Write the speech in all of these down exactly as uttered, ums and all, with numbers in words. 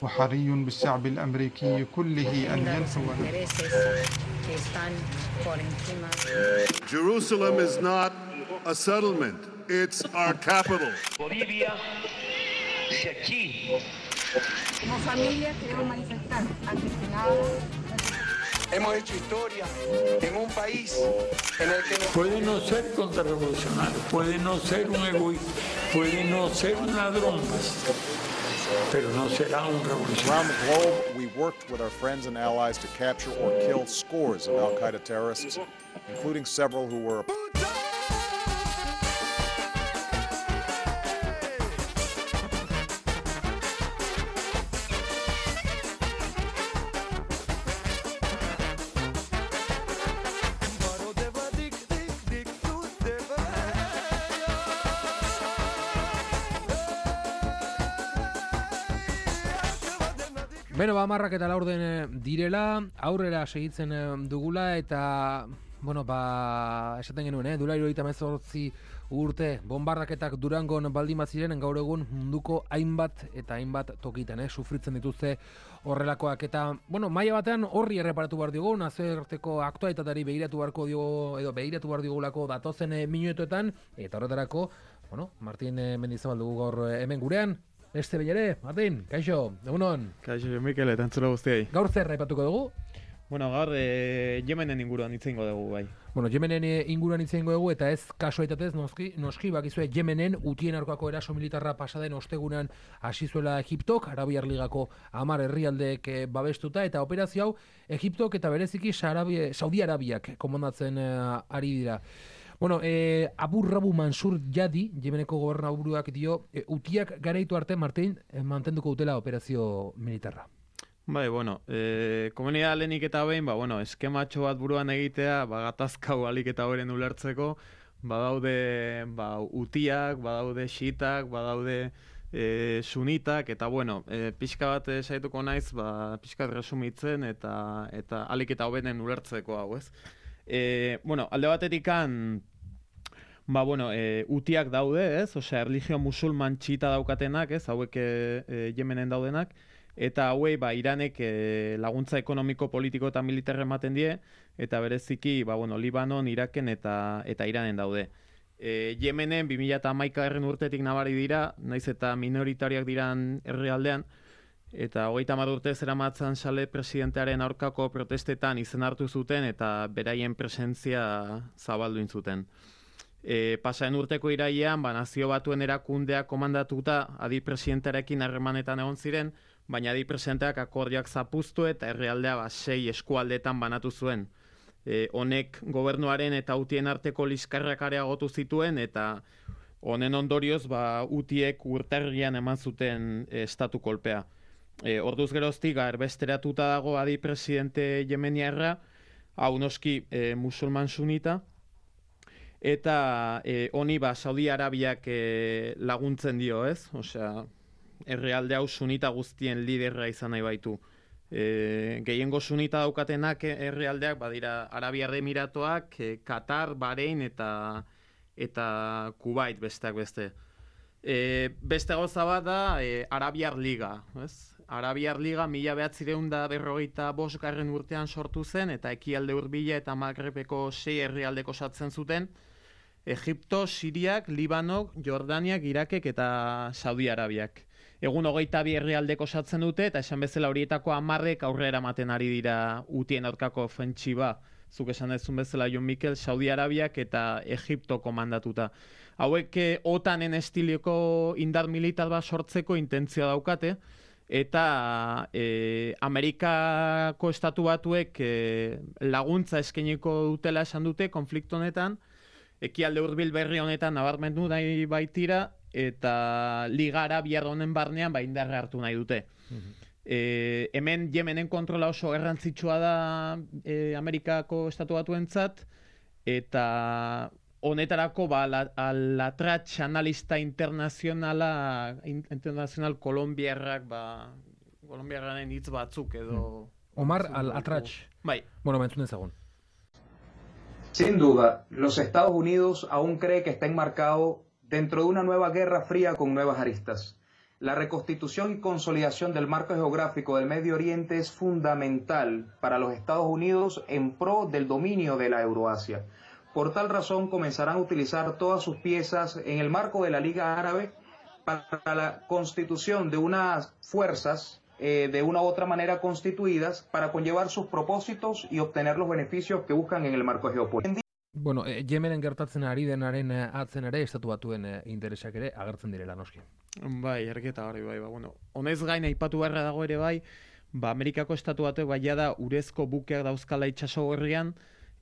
وحري بالشعب الأمريكي كله أن ينسوا. Jerusalem is not a settlement, it's our capital. Bolivia, si aquí. Como familia queremos manifestar antes que nada. Hemos hecho historia en un país en el que no... Puede no ser contrarrevolucionario, puede no ser un egoísta, puede no ser un ladrón, pero no será un revolucionario. Around the globe, we worked with our friends and allies to capture or kill scores of al-Qaeda terrorists, including several who were... Beno, ba, marrak eta laurden direla, aurrera segitzen dugula, eta, bueno, ba, esaten genuen, eh? Dula hirurogeita hemezortzi urte, bombardaketak Durangon baldin baziren, gaur egun munduko hainbat eta hainbat tokitan, eh? Sufritzen dituzte horrelakoak, eta, bueno, maila batean horri erreparatu behar diogu, nazioarteko aktualitateari begiratu beharko diogu, edo begiratu behar diogulako datozen minutuetan, eta horretarako, bueno, Martin Mendizabal dugu gaur hemen gurean. Este bellere, Martin, kaixo, egunon. Kaixo, Mikel, eta entzula guztiai. Gaur zer raipatuko dugu? Bueno, gaur e, Yemenen inguruan hitzengo dugu, bai. Bueno, Yemenen inguruan hitzengo dugu, eta ez kasualitatez noski, noski bakizue Yemenen utien aurkako eraso militarra pasaden ostegunean hasi zuela Egiptok, Arabiar Ligako hamar herrialdeek babestuta, eta operazio hau Egiptok eta bereziki Saudi Arabiak komandatzen uh, ari dira. Bueno, eh, Abu Rabu Mansur Jadi, Yemeneko gobernaburuak dio, eh, utiak garaitu arte, Martin, eh, mantenduko dutela operazio militarra. Bai, bueno, eh, komunidad lehenik eta behin, ba, bueno, eskematxo bat buruan egitea, ba, gatazkau alik eta horren ulertzeko, badaude, ba, utiak, badaude xiitak, badaude e, sunitak, eta, bueno, e, pixka bat saituko naiz, ba, pixka bat resumitzen, eta, eta alik eta horren ulertzeko hau, ez? E, bueno, alde batetikan, ba, bueno, e, utiak daude, ez? Osea, erlijio musulman txita daukatenak, ez? Hauek e, Yemenen daudenak, eta hauei, ba, Iranek e, laguntza ekonomiko, politiko eta militarra ematen die, eta bereziki, ba, bueno, Libanon, Iraken eta, eta Iranen daude. E, Yemenen bi mila hamaikagarrena urtetik nabari dira, naiz eta minoritariak diran herrialdean, eta hogeita hamar urte zeramatzan Saleh presidentearen aurkako protestetan izen hartu zuten eta beraien presentzia zabaldu zuten. E, pasaren urteko irailean, ba, Nazio Batuen erakundeak komandatuta adi presidentearekin harremanetan egon ziren, baina adi presidenteak akordioak zapuztu eta herrialdea ba, sei eskualdetan banatu zuen. E, honek gobernuaren eta utien arteko liskarrak areagotu zituen, eta honen ondorioz ba, utiek urtarrian eman zuten e, estatu kolpea. E, orduz geroztik erbesteratuta dago adi presidente yemeniarra, hau noski e, musulman sunita, eta e, honi ba, Saudi Arabiak e, laguntzen dio, ez? Osea, herrialde hau sunita guztien liderra izan nahi baitu. E, gehiengo sunita daukatenak herrialdeak badira Arabiar Emiratoak, e, Katar, Bahrein eta, eta Kuwait besteak beste. E, beste gauza bat da e, Arabiar Liga, ez? Arabiar Liga mila bederatziehun eta berrogeita bosgarren urtean sortu zen, eta ekialde hurbila eta Magrebeko sei herrialdeko osatzen zuten, Egipto, Siriak, Libanok, Jordaniak, Irakek eta Saudi Arabiak. Egun hogeita bi herrialdeko osatzen dute, eta esan bezala horietako hamarrek aurrera ematen ari dira utien aurkako ofentsiba. Zuk esan dezun bezala, Jon Mikel, Saudi Arabiak eta Egipto komandatuta. Hauek otanen estiliko indar militar bat sortzeko intentzioa daukate, eta e, Amerikako estatu batuek e, laguntza eskainiko dutela esan dute konflikto honetan, ekialde hurbil berri honetan nabarmendu nahi baitira, eta Liga Arabiar honen barnean ba indarra hartu nahi dute. Mm-hmm. e, hemen Yemenen kontrola oso garrantzitsua da e, Amerikako estatu batuentzat, eta honetarako ba, la, Latratx analista internazionala, internazional kolombiarrak, ba, kolombiarraren hitz batzuk edo... Omar Al-Latratx. Bai. Bueno, mentzun ezagun. Sin duda, los Estados Unidos aún cree que está enmarcado dentro de una nueva guerra fría con nuevas aristas. La reconstitución y consolidación del marco geográfico del Medio Oriente es fundamental para los Estados Unidos en pro del dominio de la Euroasia. Por tal razón, comenzarán a utilizar todas sus piezas en el marco de la Liga Árabe para la constitución de unas fuerzas eh, de una u otra manera constituidas para conllevar sus propósitos y obtener los beneficios que buscan en el marco geopolítico. Bueno, eh, Yemenen gertatzen ari denaren eh, atzen ere, estatu batuen eh, interesak ere agertzen direla noski. Bai, erketa hori bai, ba, bueno. Honez gain aipatu beharra dago ere bai, ba, Amerikako estatu batuek bai da urezko bukeak dauzkala itsaso gorrian,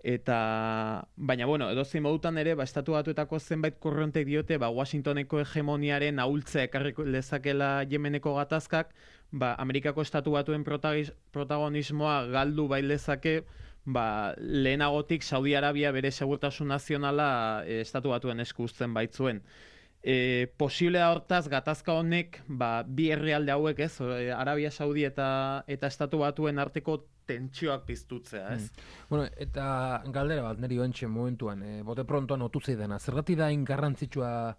eta baina bueno, edozein modutan ere, ba, estatu batuetako zenbait korrontek diote, ba, Washingtoneko hegemoniaren ahultzea ekarri lezakela Yemeneko gatazkak, ba, Amerikako estatu batuen protagonismoa galdu bai lezake, ba, lehenagotik Saudi Arabia bere segurtasun nazionala e, estatu batuen esku uzten baitzuen. E, posible da hortaz gatazka honek ba, bi herrialde hauek, ez, Arabia Saudi eta eta estatu batuen arteko tentsioak piztutzea, ez? Mm. Bueno, eta galdera bat niri oentxe momentuan, e, bote prontoan otu zeidana, zergatik da ingarrantzitsua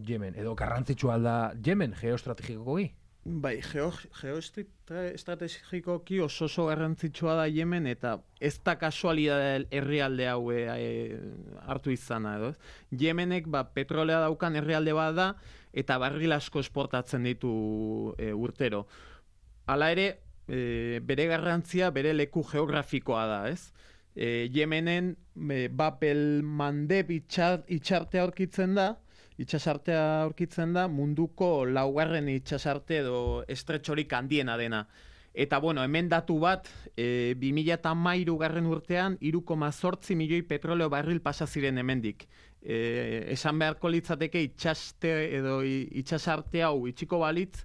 Yemen, edo garrantzitsua da Yemen geoestrategikoki? Bai, geoestrategikoki oso oso garrantzitsua da Yemen, eta ez da kasualidade herrialde hau e, e, hartu izana, edo. Yemenek ba, petrolea daukan herrialde bat da, eta barril asko esportatzen ditu e, urtero. Hala ere, e, bere garrantzia, bere leku geografikoa da, ez? E, Yemenen e, Bapel Mandeb itxartea aurkitzen da, itxasartea aurkitzen da, munduko laugarren itxasarte edo estretxorik handiena dena. Eta, bueno, hemen datu bat, e, bi mila hamairu garren urtean, hiru koma zortzi milioi petroleo barril pasa ziren hemendik. E, esan beharko litzateke itxaste edo itxasarte hau itxiko balitz,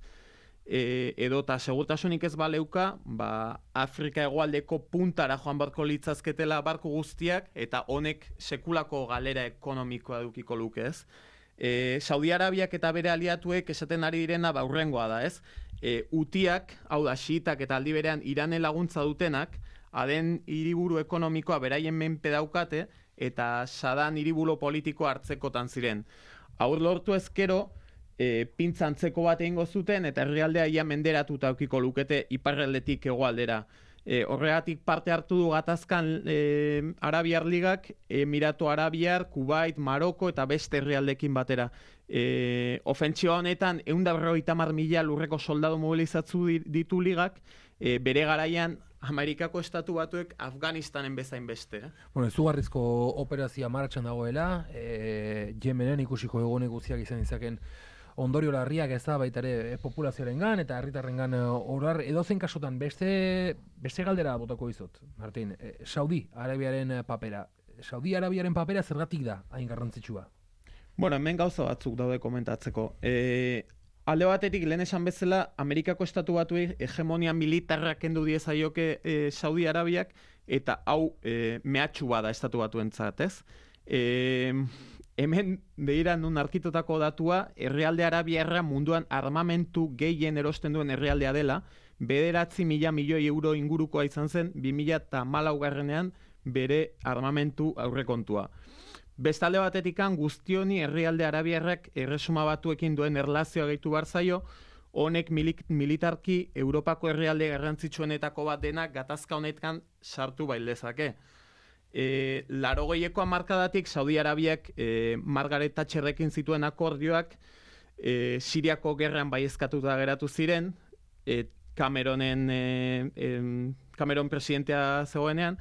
e, edo eta segurtasunik ez baleuka, ba, Afrika hegoaldeko puntara joan barko litzazketela barko guztiak, eta honek sekulako galera ekonomikoa dukiko luke, ez? E, Saudi Arabiak eta bere aliatuek esaten ari direna ba hurrengoa da, ez? E, Utiak, hau da xiitak eta aldi berean Iranen laguntza dutenak, aden hiriburu ekonomikoa beraien menpe daukate eta Sadan hiribulo politikoa hartzekotan ziren. Aur lortu ezkero, e, pintza antzeko bat egingo zuten eta herrialdea ia menderatuta aukiko lukete iparraldetik hegoaldera. E, horregatik parte hartu du gatazkan e, Arabiar Ligak, Emiratu Arabiar, Kuwait, Maroko eta beste herrialdekin batera. E, ofentsioa honetan, ehun eta berrogeita hamar mila lurreko soldadu mobilizatzu ditu ligak, e, bere garaian Amerikako estatu batuek Afganistanen bezain beste. Eh? Bueno, izugarrizko operazioa martxan dagoela, e, Yemenen ikusiko egonek guztiak izan izaken ondorio larriak ez da baita ere populazioaren gan eta herritarren gan orar edozen kasutan beste beste galdera botako dizut, Martin. E, Saudi Arabiaren papera. Saudi Arabiaren papera zergatik da hain garrantzitsua? Bueno, hemen gauza batzuk daude komentatzeko. E, alde batetik lehen esan bezala Amerikako estatu batuei hegemonia militarra kendu diezaioke e, Saudi Arabiak eta hau e, mehatxu bada estatu batuentzat, ez? E, hemen behiran nun arkitotako datua, herrialde arabiarra munduan armamentu gehien erosten duen herrialdea dela, bederatzi mila milioi euro ingurukoa izan zen, bi mila hamalaugarrenean bere armamentu aurrekontua. Bestalde batetikan guztioni herrialde arabiarrak erresuma batuekin duen erlazioa gehitu behar zaio, honek militarki Europako herrialde garrantzitsuenetako bat denak gatazka honetan sartu bailezake. E, Larogeiko hamarkadatik Saudi Arabiak e, Margaret Thatcherrekin zituen akordioak e, Siriako gerran baiezkatuta geratu ziren, e, Cameronen e, e, Cameron presidentea zegoenean,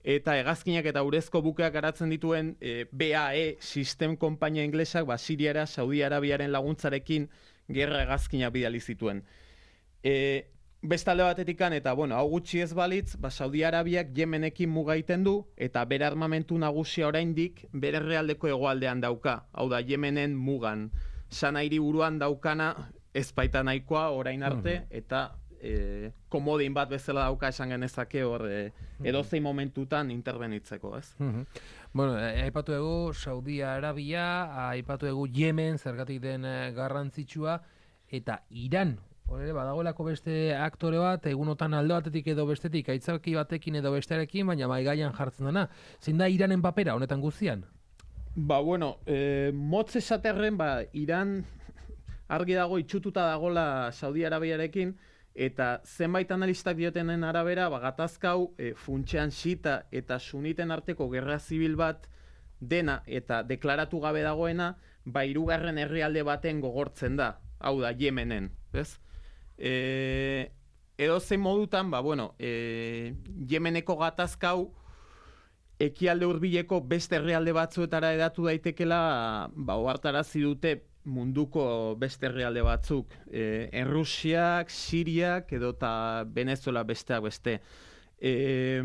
eta hegazkinak eta urezko bukeak garatzen dituen e, B A E System konpainia inglesak ba, Siriara Saudi Arabiaren laguntzarekin gerra hegazkinak bidali zituen. E, Bestalde batetikan, eta bueno, hau gutxi ez balitz, ba, Saudi Arabiak Yemenekin mugaiten du, eta bere armamentu nagusia oraindik bere herrialdeko hegoaldean dauka. Hau da, Yemenen mugan. Sana hiriburuan daukana ez baita nahikoa orain arte, eta e, komodin bat bezala dauka esan genezake hor e, edozein momentutan interbenitzeko, ez? Bueno, aipatu dugu Saudi Arabia, aipatu dugu Yemen, zergatik den garrantzitsua, eta Iran. Horre, badagoelako beste aktore bat, egunotan alde batetik edo bestetik, aitzaki batekin edo bestearekin, baina maigaian jartzen dena. Zein da Iranen papera honetan guztian? Ba, bueno, e, motz esaterren, ba, Iran, argi dago itxututa dagola Saudi Arabiarekin, eta zenbait analistak diotenen arabera, ba, gatazkau e, funtsean xita eta suniten arteko gerra zibil bat dena eta deklaratu gabe dagoena, ba, hirugarren herrialde baten gogortzen da, hau da, Yemenen, ez? E, edo zein modutan, ba, bueno, e, Yemeneko gatazkau ekialde hurbileko beste herrialde batzuetara edatu daitekela, ba, ohartarazi dute munduko beste herrialde batzuk, e, Errusiak, Siriak edo eta Venezuela besteak beste. E,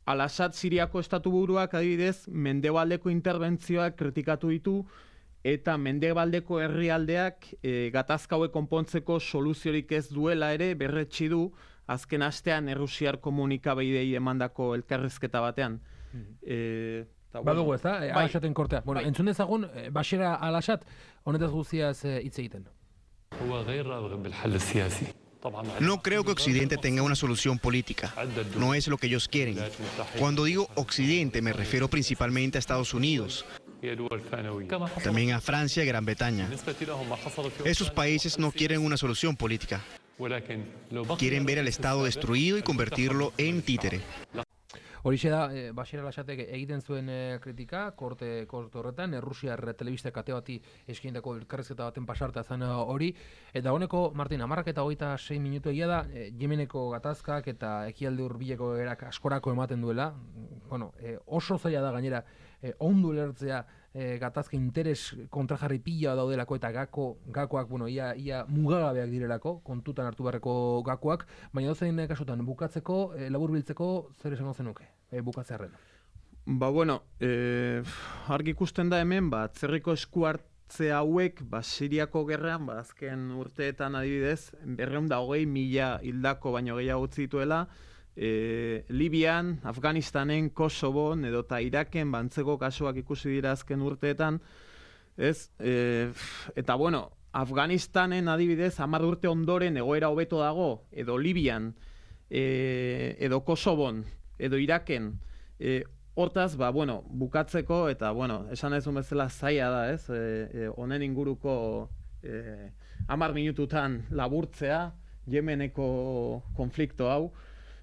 Al-Assad Siriako estatu buruak adibidez mendebaldeko interbentzioak kritikatu ditu eta mendebaldeko herrialdeak e, gatazka hauek konpontzeko soluziorik ez duela ere berretsi du azken astean Errusiar komunikabideei emandako elkarrizketa batean. E, Badugu ez da, Al-Assaden kortea. Bueno, entzun dezagun, Bashar al-Assad honetaz guztiaz hitz egiten. No creo que Occidente tenga una solución política. No es lo que ellos quieren. Cuando digo Occidente me refiero principalmente a Estados Unidos, también a Francia y Gran Bretaña. Esos países no quieren una solución política. Quieren ver al Estado destruido y convertirlo en títere. Horixe da, e, Bashar al-Assadek egiten zuen e, kritika, korte, korte horretan, Errusiar telebista kate bati eskaindako elkarrizketa baten pasarta zen hori, eta honeko, Martin, hamarrak eta hogeita sei minutu egia da, e, Yemeneko gatazkak eta ekialde hurbileko erak askorako ematen duela, bueno, e, oso zaila da gainera, e, ondu lertzea e, gatazka interes kontrajarri pila daudelako eta gako, gakoak, bueno, ia, ia mugagabeak direlako, kontutan hartu beharreko gakoak, baina dozein kasutan bukatzeko, e, laburbiltzeko, zer esango zenuke? E, bukatzearen. Ba, bueno, e, argi ikusten da hemen, ba, atzerriko esku hartze hauek, ba, Siriako gerran, ba, azken urteetan adibidez, berrehun da hogei mila hildako baino gehiago utzi dituela, e, Libian, Afganistanen, Kosovon, edo eta Iraken, bantzeko kasuak ikusi dira azken urteetan, ez? E, eta, bueno, Afganistanen adibidez, hamar urte ondoren egoera hobeto dago, edo Libian, e, edo Kosovon, edo Iraken, e, hortaz, ba, bueno, bukatzeko, eta, bueno, esan ez bezala zaila da, ez, e, honen e, inguruko e, hamar minututan laburtzea, Yemeneko konflikto hau,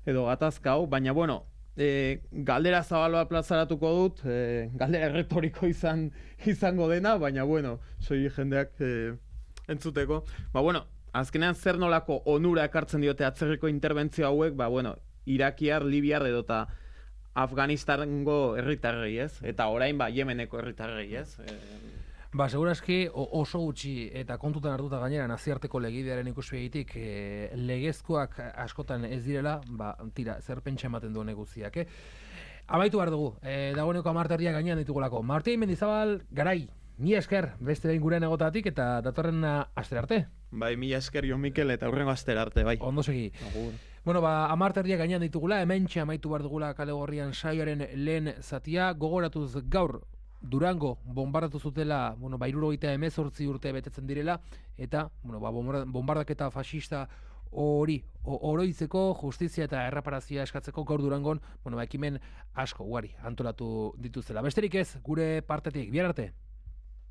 edo gatazka hau, baina, bueno, e, galdera zabaloa plazaratuko dut, e, galdera erretoriko izan, izango dena, baina, bueno, soi jendeak e, entzuteko. Ba, bueno, azkenean zer nolako onura ekartzen diote atzerriko interbentzio hauek, ba, bueno, Irakiar, Libiar edo eta Afganistango herritarrei, ez? Eta orain, ba, Yemeneko herritarrei, ez? E... Ba, segurazki oso gutxi eta kontutan hartuta gainera naziarteko legidearen ikuspegitik e, legezkoak askotan ez direla, ba, tira, zer pentsa ematen duen guztiak, eh? Abaitu behar dugu, e, dagoeneko amarterdia gainean ditugulako. Martin Mendizabal, garai, mi esker, beste behin gurean egotatik eta datorren astera arte. Bai, mi esker Jo Mikel eta hurrengo astera arte, bai. Ondo segi. Agur. Bueno, ba, amarterdia gainean ditugula, hementxe amaitu behar dugula Kale Gorrian saioaren lehen zatia, gogoratuz gaur Durango bombardatu zutela, bueno, ba, hirurogeita hemezortzi urte betetzen direla, eta, bueno, ba, bombardaketa fascista hori oroitzeko, justizia eta erreparazioa eskatzeko gaur Durangon, bueno, ba, ekimen asko ugari antolatu dituzela. Besterik ez, gure partetik, bihar arte.